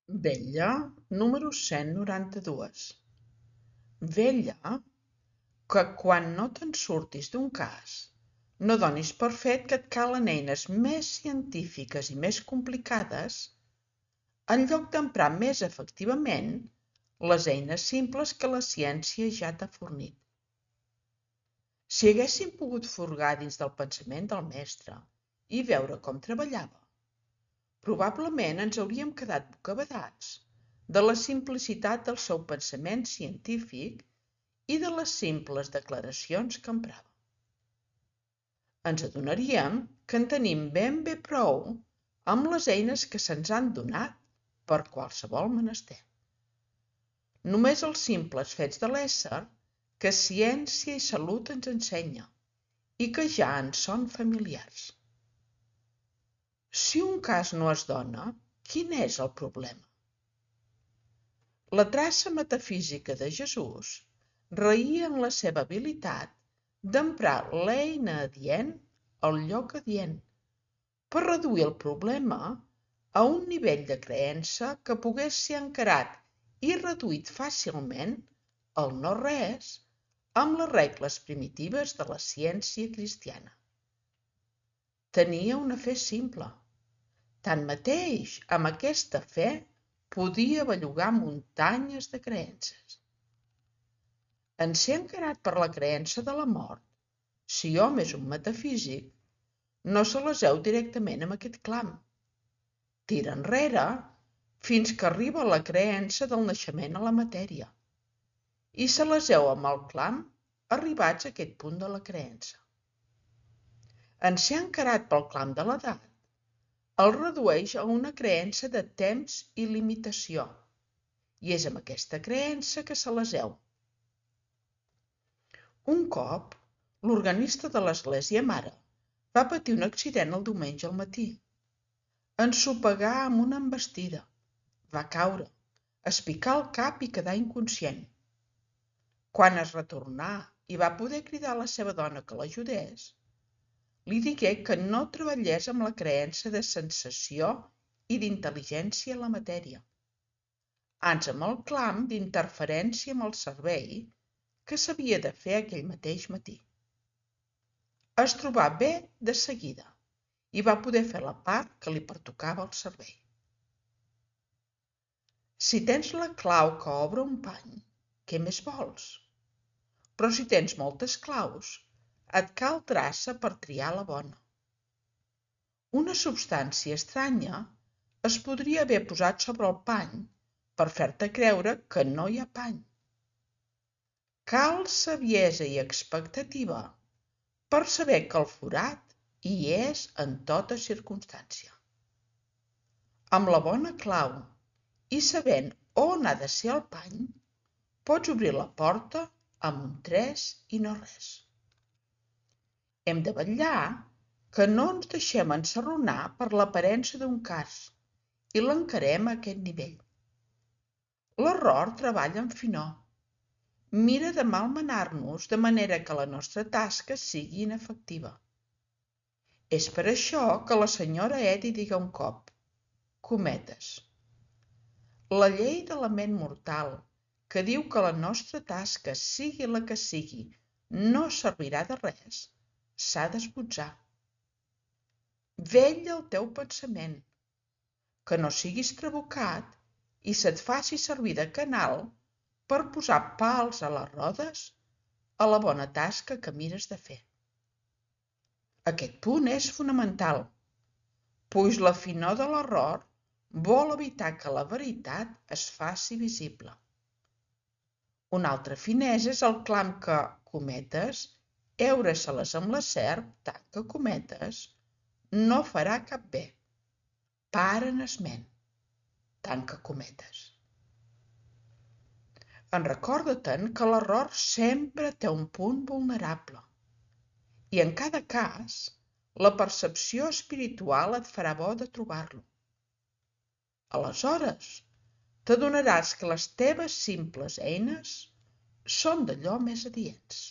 Vetlla número 192. Vetlla que quan no te'n surtis d'un cas, no donis per fet que et calen eines més científiques i més complicades, en lloc d'emprar més efectivament les eines simples que la ciència ja t'ha fornit. Si haguéssim pogut furgar dins del pensament del mestre i veure com treballava, probablement ens hauríem quedat bocabadats de la simplicitat del seu pensament científic i de les simples declaracions que emprava. Ens adonaríem que en tenim ben bé prou amb les eines que se'ns han donat per qualsevol menester. Només els simples fets de l'ésser que ciència i salut ens ensenya i que ja ens són familiars. Si un cas no es dona, quin és el problema? La traça metafísica de Jesús raïa en la seva habilitat d'emprar l'eina adient al lloc adient per reduir el problema a un nivell de creença que pogués ser encarat i reduït fàcilment al no-res amb les regles primitives de la ciència cristiana. Tenia una fe simple. Tanmateix, amb aquesta fe podia bellugar muntanyes de creences. En ser encarat per la creença de la mort, si hom és un metafísic, no se l'aseu directament amb aquest clam. Tira enrere fins que arriba a la creença del naixement a la matèria i se l'aseu amb el clam arribats a aquest punt de la creença. En ser encarat pel clam de l'edat, el redueix a una creença de temps i limitació, i és amb aquesta creença que se l'aseu. Un cop, l'organista de l'església mare va patir un accident el diumenge al matí. Ensopegà amb una envestida, va caure, es picà el cap i quedà inconscient. Quan es retornà i va poder cridar a la seva dona que l'ajudés, li digué que no treballés amb la creença de sensació i d'intel·ligència en la matèria, ans amb el clam d'interferència amb el servei que s'havia de fer aquell mateix matí. Es trobà bé de seguida i va poder fer la part que li pertocava al servei. Si tens la clau que obre un pany, què més vols? Però si tens moltes claus, et cal traça per triar la bona. Una substància estranya es podria haver posat sobre el pany per fer-te creure que no hi ha pany. Cal saviesa i expectativa per saber que el forat hi és en tota circumstància. Amb la bona clau i sabent on ha de ser el pany, pots obrir la porta amb un tres i no res. Hem de vetllar que no ens deixem ensarronar per l'aparença d'un cas i l'encarem a aquest nivell. L'error treballa amb finor. Mira de malmenar-nos de manera que la nostra tasca sigui inefectiva. És per això que la senyora Eddy diga un cop, cometes, la llei de la ment mortal que diu que la nostra tasca, sigui la que sigui, no servirà de res, s'ha d'esbotzar. Vetlla el teu pensament, que no siguis trabucat i se't faci servir de canal per posar pals a les rodes a la bona tasca que mires de fer. Aquest punt és fonamental, pois la finor de l'error vol evitar que la veritat es faci visible. Una altra finesa és el clam que, cometes, heure-se-les amb la serp, tant que cometes, no farà cap bé. Paren esment, tant que cometes. Recorda-te'n que l'error sempre té un punt vulnerable i en cada cas la percepció espiritual et farà bo de trobar-lo. Aleshores, t'adonaràs que les teves simples eines són d'allò més adients.